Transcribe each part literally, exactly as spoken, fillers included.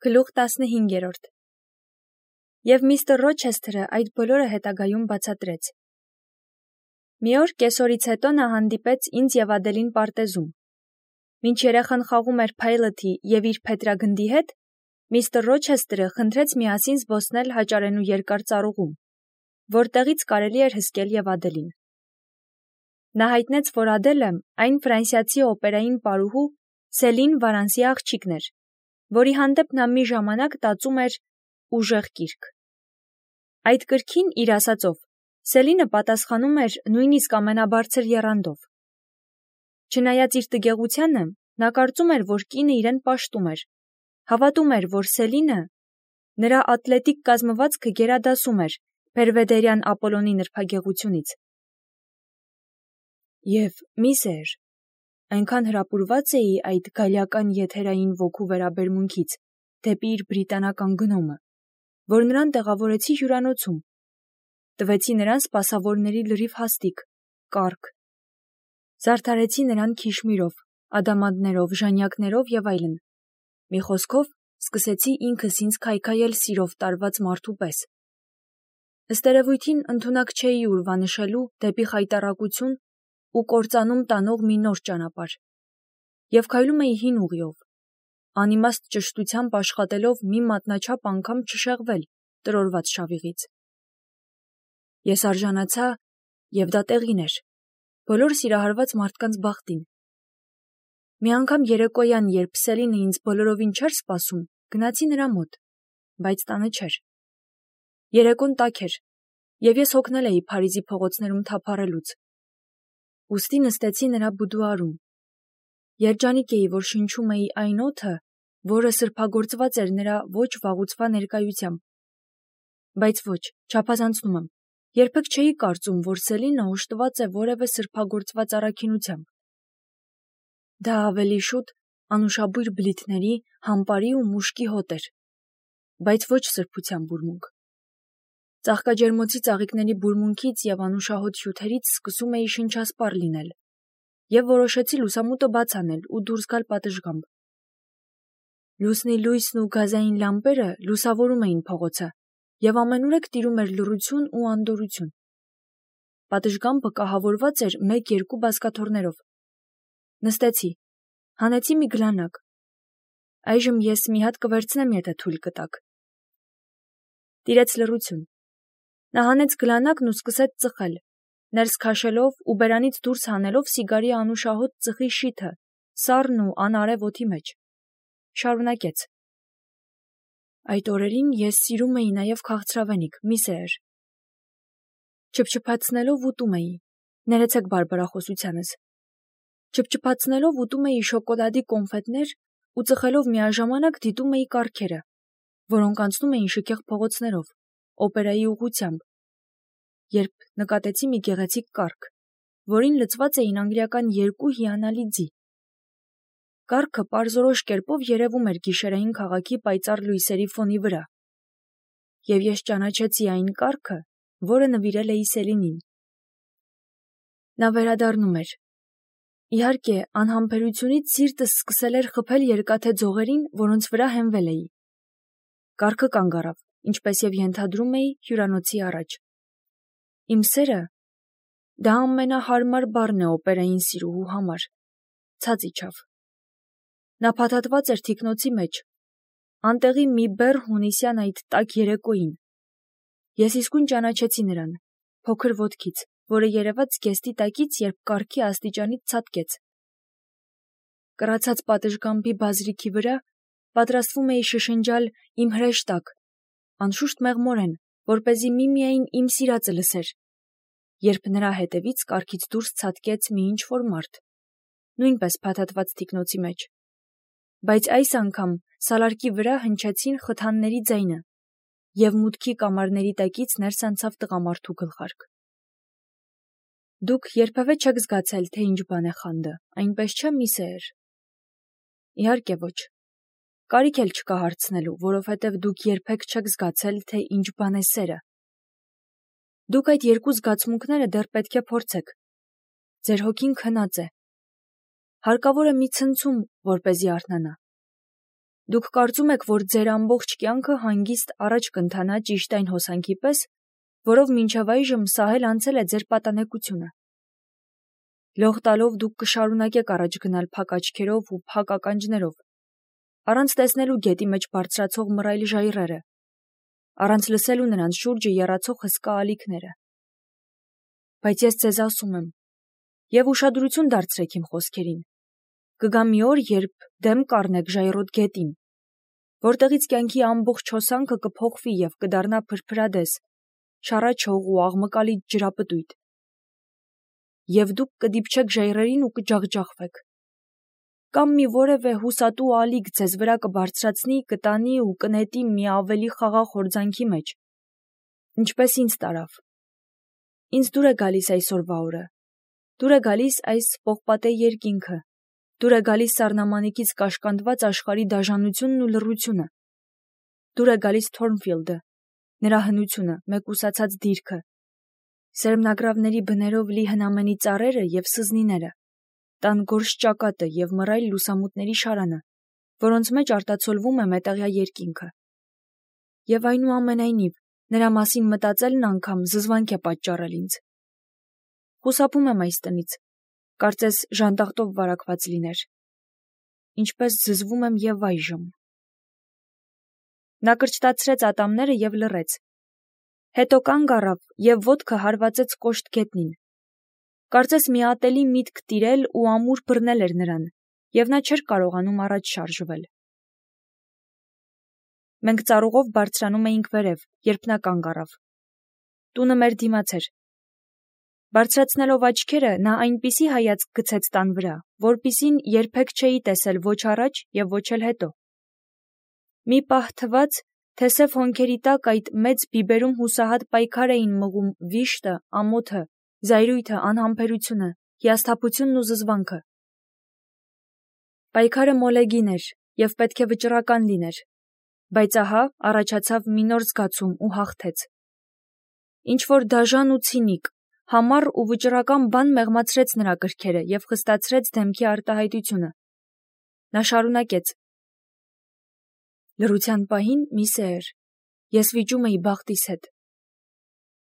Գլուխ տասնհինգերորդ Եվ միստր Ռոչեսթերը այդ բոլորը հետագայում բացատրեց։ Մի օր կեսօրից հետո նա հանդիպեց ինձ և Ադելին պարտեզում։ Մինչ երեխան խաղում էր Փայլոթի և իր փետրագնդի հետ, միստր Ռոչեսթերը խնդրեց միասին զբոսնել հաճարենու երկար ծառուղում, որտեղից կարելի էր հսկել և Ադելին։ Նա հայտնեց, որ Ադելը այն ֆրանսիացի օպերային պարուհու Սելին Վարանսի աղջիկն էր, որի հանդեպ նա մի ժամանակ տածում էր ուժեղ կիրք։ Այդ կրքին, իր ասածով, Սելինը պատասխանում էր նույնիսկ ամենաբարձր եռանդով։ Չնայած իր տգեղությանը, նա կարծում էր, որ կինը իրեն պաշտում էր, հավատում էր, որ Սելինը նրա ատլետիկ կազմվածքը գերադասում էր Բերվեդերյան Ապոլոնի նրբագեղությունից։ Եվ, միսեր, այնքան հրապուրված էի այդ գալիական եթերային ոգու վերաբերմունքից դեպի իր բրիտանական գնոմը, որ նրան տեղավորեցի հյուրանոցում, տվեցի նրան սպասավորների լրիվ հաստիք, կառք, զարդարեցի նրան քիշմիրով, ադամանդներով, ժանյակներով և այլն, մի խոսքով սկսեցի ինքս ինձ քայքայել սիրով տարված մարդու պես։ Ըստ երևույթին ընդունակ չէի ուրվանշելու դեպի խայտառակություն ու կործանում տանող մի նոր ճանապարհ, և քայլում էի հին ուղիով, անիմաստ ճշտությամբ աշխատելով մի մատնաչափ անգամ չշեղվել տրորված շավիղից։ Ես արժանացա, և դա տեղին էր, բոլոր սիրահարված մարդկանց բախտին։ Մի անգամ երեկոյան, երբ Սելինը ինձ բոլորովին չէր սպասում, գնացի նրա մոտ, բայց տանը չէր։ Երեկոն տաք էր, և ես հոգնել էի Փարիզի փողոցներում թափառելուց։ Ուստի նստեցի նրա բուդուարում։ Երջանիկ էի, որ շնչում էի այն օդը, որը սրբագործված էր նրա ոչ վաղուցվա ներկայությամբ։ Բայց ոչ, չափազանցնում եմ, երբեք չէի կարծում, որ Սելինը օժտված է որևէ սրբագործված առաքինությամբ։ Դա ավելի շուտ անուշաբույր բլիթների, համպարի ու մուշկի հոտ էր, բայց ոչ սրբության բուրմունք։ Ծաղկաջերմոցի ծաղիկների բուրմունքից և անուշահոտ հյութերից սկսում էի շնչասպառ լինել, և որոշեցի լուսամուտը բաց անել ու դուրս գալ պատշգամբ։ Լուսնի լույսն ու գազային լամպերը լուսավորում էին փողոցը, և ամենուրեք տիրում էր լռություն ու անդորրություն։ Պատշգամբը կահավորված էր մեկ-երկու բազկաթոռներով։ Նստեցի, հանեցի մի գլանակ։ Այժմ ես մի հատ կվերցնեմ, եթե թույլ կտաք։ Տիրեց լռություն։ Նա հանեց գլանակն ու սկսեց ծխել, ներս քաշելով ու բերանից դուրս հանելով սիգարի անուշահոտ ծխի շիթը, սառն ու անարև օդի մեջ։ Շարունակեց. Այդ օրերին ես սիրում էի նաև քաղցրավենիք, միսեր։ Չփչփացնելով ուտում էի, ներեցեք բարբարախոսությանս։ Չփչփացնելով ուտում էի շոկոլադի կոնֆետներ ու ծխելով միաժամանակ դիտում էի կառքերը, որոնք անցնում էին շքեղ փողոցներով, օպերայի ուղղությամբ, երբ նկատեցի մի գեղեցիկ կառք, որին լցված էին անգլիական երկու հիանալի ձի։ Կառքը պարզորոշ կերպով երևում էր գիշերային քաղաքի պայծառ լույսերի ֆոնի վրա, և ես ճանաչեցի այն կառքը, որը նվիրել էի Սելինին։ Նա վերադառնում էր։ Իհարկե, անհամբերությունից սիրտս սկսել էր խփել երկաթե ձողերին, որոնց վրա հենվել էի։ Կառքը կանգ առավ, ինչպես և ենթադրում էի, հյուրանոցի առաջ։ Իմ սերը, դա ամենահարմար բառն է օպերային սիրուհու համար, ցած իջավ։ Նա փաթաթված էր թիկնոցի մեջ, անտեղի մի բեռ հունիսյան այդ տաք երեկոյին։ Ես իսկույն ճանաչեցի նրան, փոքր ոտքից, որը երևաց զգեստի տակից, երբ կառքի աստիճանից ցատկեց։ Կռացած պատշգամբի բազրիքի վրա պատրաստվում էի շշնջալ իմ հրեշտակ, անշուշտ մեղմորեն, որպեսզի միմիայն իմ սիրածը լսեր, երբ նրա հետևից կառքից դուրս ցատկեց մի ինչ-որ մարդ, նույնպես փաթաթված թիկնոցի մեջ, բայց այս անգամ սալարկի վրա հնչեցին խթանների ձայնը, և մուտքի կամարների տակից ներս անցավ տղամարդու գլխարկ։ Դուք երբևէ չեք զգացել, թե ինչ բան է խանդը, այնպես չէ, միսեր։ Իհարկե ոչ։ Կարիք էլ չկա հարցնելու, որովհետև դուք երբեք չեք զգացել, թե ինչ բան է սերը։ Դուք այդ երկու զգացմունքները դեռ պետք է փորձեք։ Ձեր հոգին քնած է։ Հարկավոր է մի ցնցում, որպեսզի արթնանա։ Դուք կարծում եք, որ ձեր ամբողջ կյանքը հանգիստ առաջ կընթանա ճիշտ այն հոսանքի պես, որով մինչև այժմ սահել անցել է ձեր պատանեկությունը։ Լող տալով դուք կշարունակեք առաջ գնալ փակ աչքերով ու փակ ականջներով, առանց տեսնելու գետի մեջ բարձրացող մռայլ ժայռերը, առանց լսելու նրանց շուրջը եռացող հսկա ալիքները։ Բայց ես ձեզ ասում եմ, եւ ուշադրություն դարձրեք իմ խոսքերին, կգա մի օր, երբ դեմ կառնեք ժայռոտ գետին, որտեղից կյանքի ամբողջ հոսանքը կփոխվի եւ կդառնա փրփրադես, շառաչող ու աղմկալի ջրապտույտ։ Եվ դուք կդիպչեք ժայռերին ու կջախջախվեք։ Կամ մի որևէ հուսատու ալիք ձեզ վրա կբարձրացնի, կտանի ու կնետի մի ավելի խաղաղ հորձանքի մեջ, ինչպես ինձ տարավ։ Ինձ դուր է գալիս այսօրվա օրը, դուր է գալիս այս պողպատե երկինքը, դուր է գալիս սառնամանիքից կաշկանդված աշխարհի դաժանությունն ու լռությունը, դուր է գալիս Թորնֆիլդը, նրա հնությունը, մեկուսացած դիրքը, սերմնագրավների բներով լի հնամենի ծառերը եւ սզնիները, տան գորշ ճակատը եւ մռայլ լուսամուտների շարանը, որոնց մեջ արտացոլվում է մետաղյա երկինքը։ Եվ այնուամենայնիվ, նրա մասին մտածելն անգամ զզվանք է պատճառել ինձ։ Խուսափում եմ այս տնից, կարծես ժանտախտով վարակված լիներ, ինչպես զզվում եմ եւ այժմ։ Նա կրճտացրեց ատամները եւ լռեց, հետո կանգ առավ եւ ոտքը հարվածեց կոշտ գետնին։ Կարծես մի ատելի միտք տիրել ու ամուր բռնել էր նրան, եւ նա չէր կարողանում առաջ շարժվել։ Մենք ծառուղով բարձրանում էինք վերև, երբ նա կանգ առավ։ Տունը մեր դիմաց էր։ Բարձրացնելով աչքերը, նա այնպիսի հայացք գցեց տան վրա, որպիսին երբեք չէի տեսել ոչ առաջ եւ ոչ էլ հետո։ Մի պահ թվաց, թե սև հոնքերի տակ այդ մեծ բիբերում հուսահատ պայքար էին մղում վիշտը, ամոթը, զայրույթը, անհամբերությունը, հիասթափությունն ու զզվանքը։ Պայքարը մոլեգին էր եւ պետք է վճռական լիներ, բայց ահա առաջացավ մի նոր զգացում ու հաղթեց։ Ինչ որ դաժան ու ցինիկ, համառ ու վճռական բան մեղմացրեց նրա կրքերը եւ խստացրեց դեմքի արտահայտությունը։ Նա շարունակեց. Լռության պահին մի սեր, ես վիճում էի բախտիս հետ։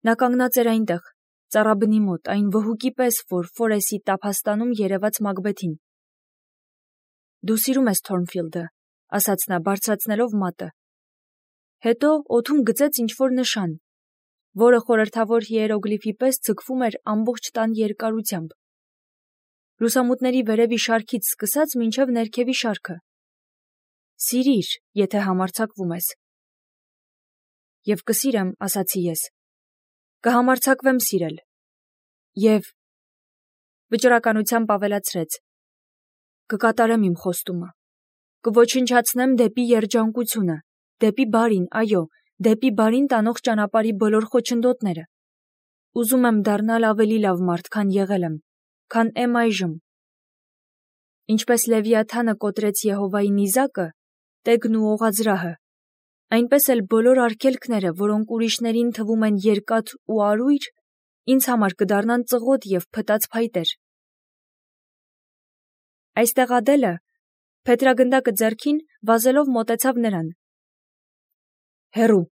Նա կանգնած էր այնտեղ, ծառաբնի մոտ, այն վհուկի պես, որ Ֆորեսի տափաստանում երևաց Մակբեթին։ Դու սիրում ես Թորնֆիլդը, ասաց նա, բարձրացնելով մատը։ Հետո օդում գծեց ինչ-որ նշան, որը խորհրդավոր հիերոգլիֆի պես ձգվում էր ամբողջ տան երկարությամբ։ Լուսամուտների վերևի շարքից սկսած մինչև ներքևի շարքը։ Սիրիր, եթե համարձակվում ես։ Եվ կսիրեմ, ասացի ես։ Կհամարձակվեմ սիրել։ Եվ վճռականությամբ ավելացրեց. կկատարեմ իմ խոստումը, կոչնչացնեմ դեպի երջանկությունը, դեպի բարին, այո, դեպի բարին տանող ճանապարհի բոլոր խոչընդոտները։ Ուզում եմ դառնալ ավելի լավ մարդ, քան եղել եմ, քան եմ այժմ։ Ինչպես Լևիաթանը կոտրեց Եհովայի նիզակը, տեգն ու օղազրահը, այնպես էլ բոլոր արգելքները, որոնք ուրիշներին թվում են երկաթ ու արույր, ինձ համար կդառնան ծղոտ եւ փտած փայտեր։ Այստեղ Ադելը, փետրագնդակը ձեռքին, վազելով մոտեցավ նրան։ Հերու,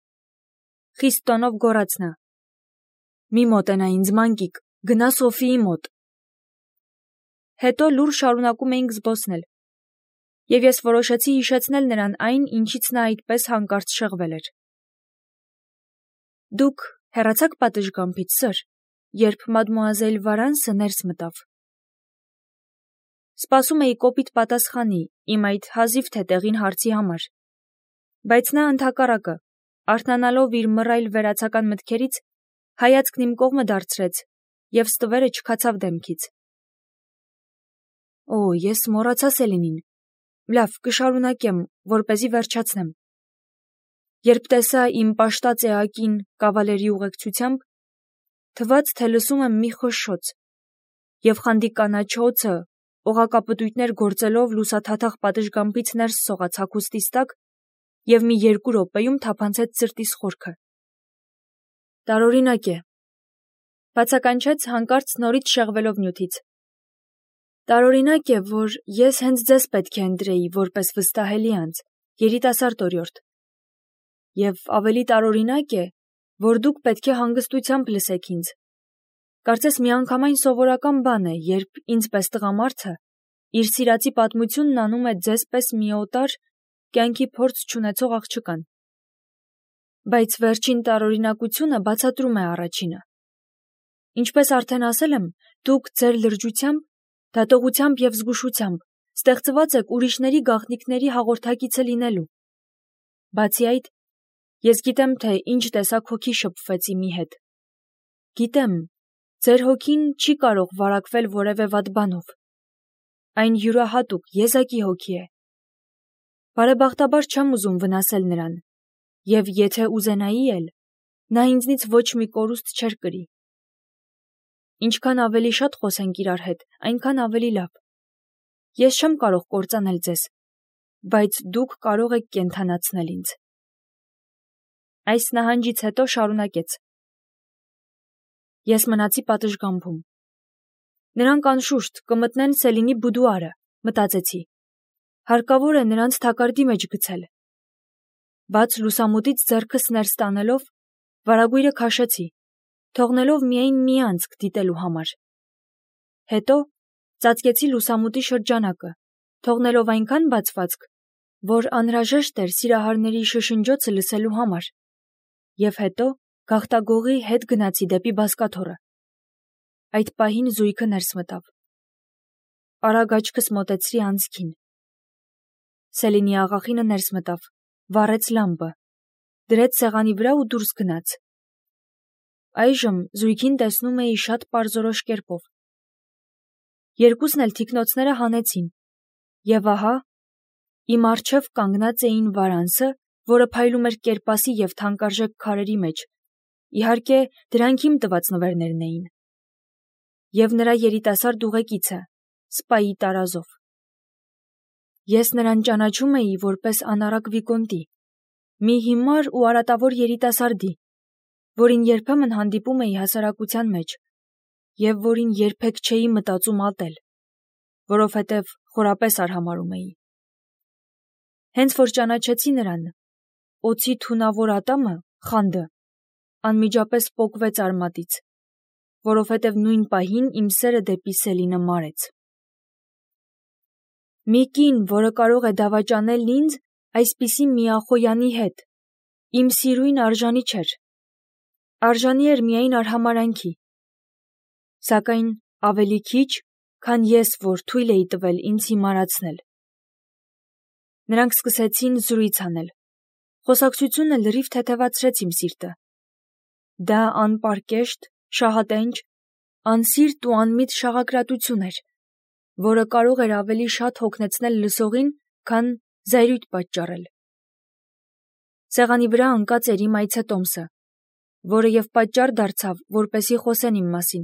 խիստ տոնով գոռաց նա։ Մի մոտենա ինձ, մանկիկ, գնա Սոֆիի մոտ։ Հետո լուռ շարունակում էինք զբոսնել։ Եվ ես որոշեցի հիշեցնել նրան այն, ինչից նա այդպես հանկարծ շեղվել էր։ Դուք հեռացաք պատշգամբից, սըր, երբ մադմուազել Վարանսը ներս մտավ։ Սպասում էի կոպիտ պատասխանի իմ այդ հազիվ թե տեղին հարցի համար, բայց նա ընդհակառակը, արթնանալով իր մռայլ վերացական մտքերից, հայացքն իմ կողմը դարձրեց եւ ստվերը չքացավ դեմքից։ Օ, ես մոռացա Սելինին։ Լավ, կշարունակեմ, որպեսզի վերջացնեմ։ Երբ տեսա իմ պաշտած էակին կավալերի ուղեկցությամբ, թվաց, թե լսում եմ մի խշշոց, եւ խանդի կանաչ օձը, օղակապտույտներ գործելով լուսաթաթախ պատշգամբից ներս սողաց հագուստիս տակ եւ մի երկու րոպեում թափանցեց սրտիս խորքը։ Տարօրինակ է, բացականչեց հանկարծ նորից շեղվելով նյութից։ Տարօրինակ է, որ ես հենց ձեզ պետք է ընտրեի որպես վստահելի անձ, երիտասարդ օրիորդ, և ավելի տարօրինակ է, որ դուք պետք է հանգստությամբ լսեք ինձ։ Կարծես միանգամայն սովորական բան է, երբ ինձ պես տղամարդը իր սիրածի պատմությունն անում է ձեզ պես մի օտար, կյանքի փորձ չունեցող աղջկան։ Բայց վերջին տարօրինակությունը բացատրում է առաջինը։ Ինչպես արդեն ասել եմ, դուք ձեր լրջությամբ, դատողությամբ և զգուշությամբ ստեղծված եք ուրիշների գաղտնիքների հաղորդակիցը լինելու։ Բացի այդ, ես գիտեմ, թե ինչ տեսակ հոգի շփվեց իմի հետ։ Գիտեմ, ձեր հոգին չի կարող վարակվել որևէ վատ բանով։ Այն յուրահատուկ, եզակի հոգի է։ Բարեբախտաբար չեմ ուզում վնասել նրան, և եթե ուզենայի էլ, նա ինձնից ոչ մի կորուստ չէր կրի։ Ինչքան ավելի շատ խոսենք իրար հետ, այնքան ավելի լավ։ Ես չեմ կարող կործանել ձեզ, բայց դուք կարող եք կենդանացնել ինձ։ Այս նահանջից հետո շարունակեց. Ես մնացի պատշգամբում։ Նրանք անշուշտ կմտնեն Սելինի բուդուարը, մտածեցի։ Հարկավոր է նրանց թակարդի մեջ գցել։ Բաց լուսամուտից ձեռքս ներս տանելով, վարագույրը քաշեցի, թողնելով միայն մի անցք դիտելու համար։ Հետո ծածկեցի լուսամուտի շրջանակը, թողնելով այնքան բացվածք, որ անհրաժեշտ էր սիրահարների շշնջոցը լսելու համար, և հետո գաղտագողի հետ գնացի դեպի բազկաթոռը։ Այդ պահին զույգը ներս մտավ։ Արագ աչքս մոտեցրի անցքին։ Սելինի աղախինը ներս մտավ, վառեց լամպը, դրեց սեղանի վրա ու դուրս գնաց։ Այժմ զույգին տեսնում էի շատ պարզորոշ կերպով։ Երկուսն էլ թիկնոցները հանեցին, և ահա, իմ առջև կանգնած էին Վարանսը, որը փայլում էր կերպասի և թանկարժեք քարերի մեջ, իհարկե դրանք իմ տված նվերներն էին, և նրա երիտասարդ ուղեկիցը, սպայի տարազով։ Ես նրան ճանաչում էի որպես անառակ վիկոնտի, մի հիմար ու արատավոր երիտասարդի, որին երբեմն հանդիպում էի հասարակության մեջ, և որին երբեք չէի մտածում ատել, որովհետև խորապես արհամարհում էի։ Հենց որ ճանաչեցի նրան, օձի թունավոր ատամը, խանդը, անմիջապես պոկվեց արմատից, որովհետև նույն պահին իմ սերը դեպի Սելինը մարեց։ Մի կին, որը կարող է դավաճանել ինձ այսպիսի միախոյանի հետ, իմ սիրույն արժանի չէր, արժանի էր միայն արհամարհանքի, սակայն ավելի քիչ, քան ես, որ թույլ էի տվել ինձ հիմարացնել։ Նրանք սկսեցին զրույց անել, խոսակցությունը լրիվ թեթևացրեց իմ սիրտը։ Դա անպարկեշտ, շահատենչ, անսիրտ ու անմիտ շաղակրատություն էր, որը կարող էր ավելի շատ հոգնեցնել լսողին, քան զայրույթ պատճառել։ Սեղանի վրա ընկած էր իմ այցետոմսը, որը և պատճառ դարձավ, որպեսզի խոսեն իմ մասին։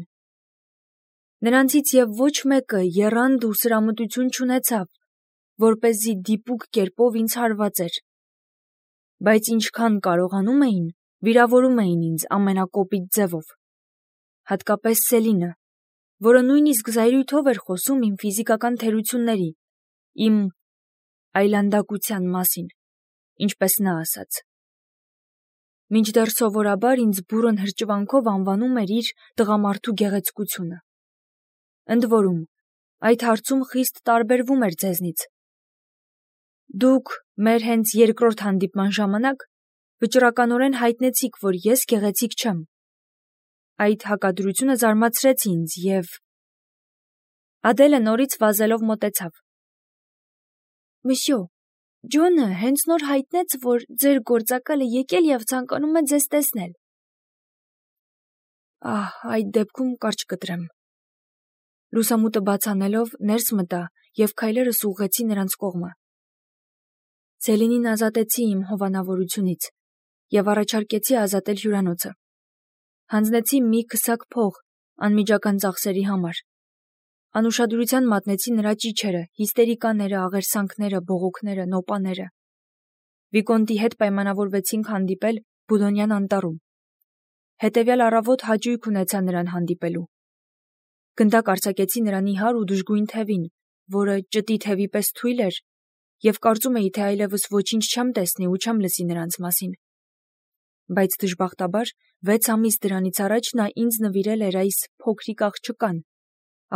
Նրանցից և ոչ մեկը եռանդ ու սրամտություն չունեցավ, որպեսզի դիպուկ կերպով ինձ հարվածեր, բայց ինչքան կարողանում էին, վիրավորում էին ինձ ամենակոպիտ ձևով, հատկապես Սելինը, որը նույնիսկ զայրույթով էր խոսում իմ ֆիզիկական թերությունների, իմ այլանդակության մասին, ինչպես նա ասաց։ Մինչդեռ սովորաբար ինձ բուռն հրճվանքով անվանում էր իր տղամարդու գեղեցկությունը։ Ընդ որում, այդ հարցում խիստ տարբերվում էր ձեզնից։ Դուք մեր հենց երկրորդ հանդիպման ժամանակ վճռականորեն հայտնեցիք, որ ես գեղեցիկ չեմ։ Այդ հակադրությունը զարմացրեց ինձ և… Ադելը նորից վազելով մոտեցավ։ Մսյո, Ջոնը հենց նոր հայտնեց, որ ձեր գործակալը եկել և ցանկանում է ձեզ տեսնել։ Ահ, այդ դեպքում կարճ կտրեմ։ Լուսամուտը բաց անելով ներս մտա և քայլերս ուղղեցի նրանց կողմը։ Սելինին ազատեցի իմ հովանավորությունից և առաջարկեցի ազատել հյուրանոցը։ Հանձնեցի մի քսակ փող անմիջական ծախսերի համար։ Անուշադրության մատնեցի նրա ճիչերը, հիստերիկաները, աղերսանքները, բողոքները, նոպաները։ Վիկոնտի հետ պայմանավորվեցինք հանդիպել Բուդոնյան անտառում։ Հետևյալ առավոտ հաճույք ունեցա նրան հանդիպելու։ Գնդակ արձակեցի նրան իհար ու դժգույն թևին, որը ճտի թևի պես թույլ էր, եւ կարծում էի, թե այլևս ոչինչ չեմ տեսնի ու չեմ լսի նրանց մասին։ Բայց դժբախտաբար վեց ամիս դրանից առաջ նա ինձ նվիրել էր այս փոքրիկ աղջկան,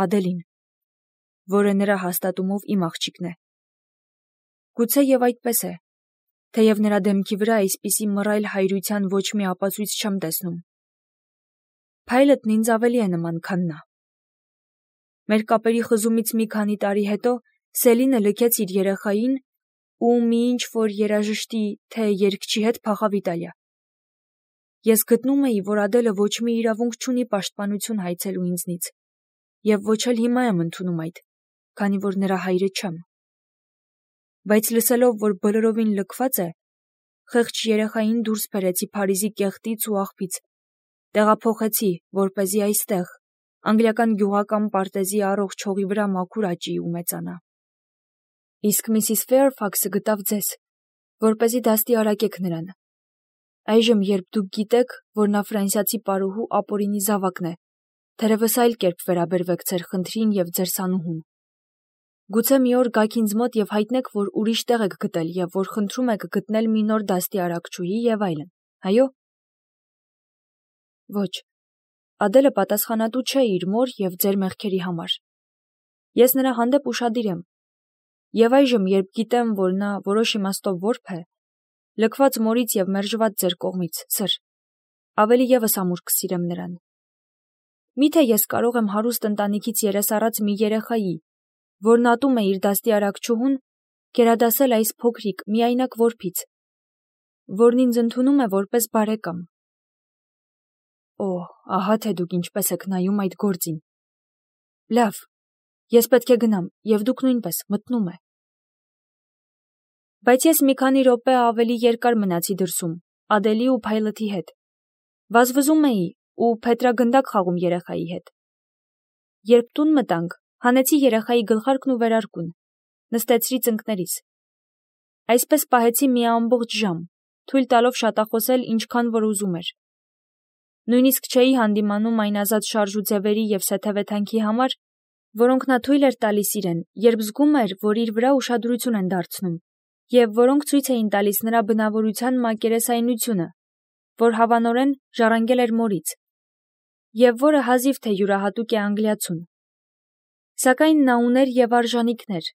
Ադելին, որը նրա հաստատումով իմ աղջիկն է։ Գուցե եւ այդպես է, թեև նրա դեմքի վրա այսպիսի մռայլ հայրության ոչ մի ապացույց չեմ տեսնում։ Փայլտն ինձ ավելի է նման, քան նա։ Մեր կապերի խզումից մի քանի տարի հետո Սելինը լքեց իր երեխային ու մի ինչ-որ երաժշտի, թե երգչի հետ փախավ Իտալիա։ Ես գտնում էի, որ Ադելը ոչ մի իրավունք չունի պաշտպանություն հայցելու ինձնից, եւ ոչ էլ հիմա եմ ընդունում այդ, քանի որ նրա հայրը չեմ։ Բայց լսելով, որ բոլորովին լքված է, խեղճ երեխային դուրս բերեցի Փարիզի կեղտից ու աղբից, տեղափոխեցի, որպեսզի այստեղ, անգլիական գյուղական պարտեզի առողջ հողի վրա մաքուր աճի ու մեծանա։ Իսկ Միսիս Ֆեյրֆաքսը գտավ ձեզ, որպեսզի դաստիարակեք նրան։ Այժմ, երբ դուք գիտեք, որ նա ֆրանսիացի պարուհու ապօրինի զավակն է, թերևս այլ կերպ վերաբերվեք ձեր խնդրին եւ ձեր սանուհուն։ Գուցե մի օր գաք ինձ մոտ եւ հայտնեք, որ ուրիշ տեղ եք գտել եւ որ խնդրում եք գտնել մի նոր դաստիարակչուհի եւ այլն, այո։ Ոչ, Ադելը պատասխանատու չէ իր մոր եւ ձեր մեղքերի համար։ Ես նրա հանդեպ ուշադիր եմ։ Եվ այժմ, երբ գիտեմ, որ նա որոշ իմաստով որբ է, լքված մորից եւ մերժված ձեր կողմից, սր, ավելի եւս ամուր կսիրեմ նրան։ Միթե ես կարող եմ հարուստ ընտանիքից երեսառած մի երեխայի, որն ատում է իր դաստիարակչուհուն, գերադասել այս փոքրիկ, միայնակ որբից, որն ինձ ընդունում է որպես բարեկամ։ Օ, ահա թե դուք ինչպես եք նայում այդ գործին։ Լավ, ես պետք է գնամ, եւ դուք նույնպես, մտնում է։ Բայց ես մի քանի րոպե ավելի երկար մնացի դրսում, Ադելի ու Փայլտի հետ։ Վազվզում էի ու փետրագնդակ խաղում երեխայի հետ։ Երբ տուն մտանք, հանեցի երեխայի գլխարկն ու վերարկուն, նստեցրի ծնկներիս։ Այսպես պահեցի մի ամբողջ ժամ, թույլ տալով շատախոսել ինչքան որ ուզում էր։ Նույնիսկ չէի հանդիմանում այն ազատ շարժ ու ձևերի եւ սեթևեթանքի համար, որոնք նա թույլ էր տալիս իրեն, երբ զգում էր, որ իր վրա ուշադրություն են դարձնում, եւ որոնք ցույց էին տալիս նրա բնավորության մակերեսայնությունը, որ հավանորեն ժառանգել էր մորից, եւ որը հազիվ թե յուրահատուկ է անգլիացուն։ Սակայն նա ուներ եւ արժանինքներ,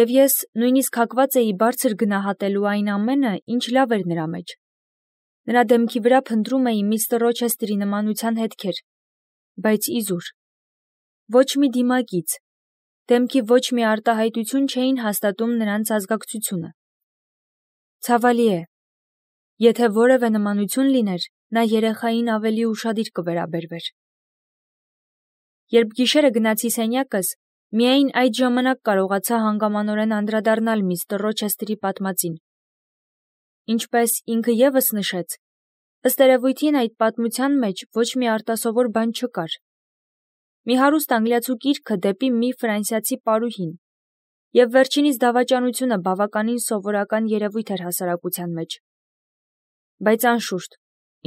եւ ես նույնիսկ հակված էի բարձր գնահատելու այն ամենը, ինչ լավ էր նրա մեջ։ Նրա դեմքի վրա փնտրում էի միստր Ռոչեստրի նմանության հետքեր, բայց իզուր։ Ոչ մի դիմագիծ, դեմքի ոչ մի արտահայտություն չէին հաստատում նրանց ազգակցությունը։ Ցավալի է, եթե որևէ նմանություն լիներ, նա երեխային ավելի ուշադիր կվերաբերվեր։ Երբ գիշերը գնացի սենյակս, միայն այդ ժամանակ կարողացա հանգամանորեն անդրադառնալ միստր Ռոչեստրի պատմածին։ Ինչպես ինքը եւս նշեց, ըստ երևույթին այդ պատմության մեջ ոչ մի արտասովոր բան չկար։ Մի հարուստ անգլիացու կիրքը դեպի մի ֆրանսիացի պարուհին, եւ վերջինիս դավաճանությունը բավականին սովորական երևույթ էր հասարակության մեջ։ Բայց անշուշտ,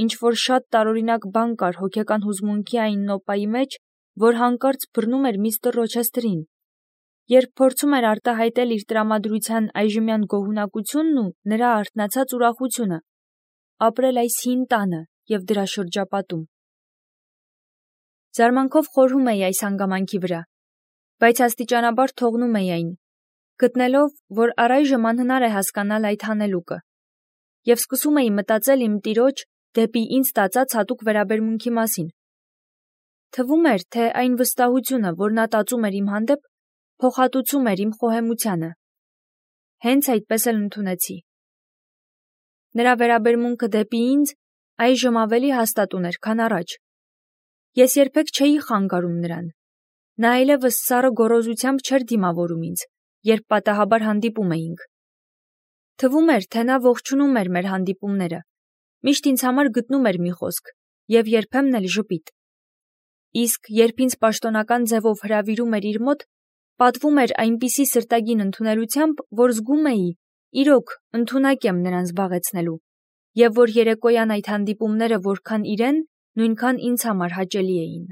ինչ որ շատ տարօրինակ բան կար հոգեկան հուզմունքի այն նոպայի մեջ, որ հանկարծ բռնում էր միստր Ռոչեստրին, երբ փորձում էր արտահայտել իր տրամադրության այժմյան գոհունակությունն ու նրա արթնացած ուրախությունը, ապրել այս հին տանը եւ դրա շրջապատում։ Զարմանքով խորհում էի այս հանգամանքի վրա, բայց աստիճանաբար թողնում էի այն, գտնելով, որ առայժմ անհնար է հասկանալ այդ հանելուկը, եւ սկսում էի մտածել իմ տիրոջ դեպի ինձ տածած հատուկ վերաբերմունքի մասին։ Թվում էր, թե այն վստահությունը, որ նա տածում էր իմ հանդեպ, փոխհատուցում էր իմ խոհեմությանը։ Հենց այդպես էլ ընդունեցի։ Նրա վերաբերմունքը դեպի ինձ այժմ ավելի հաստատ ուներ, քան առաջ։ Ես երբեք չէի խանգարում նրան։ Նա այլևս սառը գոռոզությամբ չէր դիմավորում ինձ, երբ պատահաբար հանդիպում էինք։ Թվում էր, թե նա ողջունում էր մեր հանդիպումները, միշտ ինձ համար գտնում էր մի խոսք եւ երբեմն էլ ժպիտ։ Իսկ երբ ինձ պաշտոնական ձևով հրավիրում էր իր մոտ, պատվում էր այնպիսի սրտագին ընդունելությամբ, որ զգում էի, իրոք, ընդունակ եմ նրան զբաղեցնելու, եւ որ երեկոյան այդ հանդիպումները որքան իրեն, նույնքան ինձ համար հաճելի էին։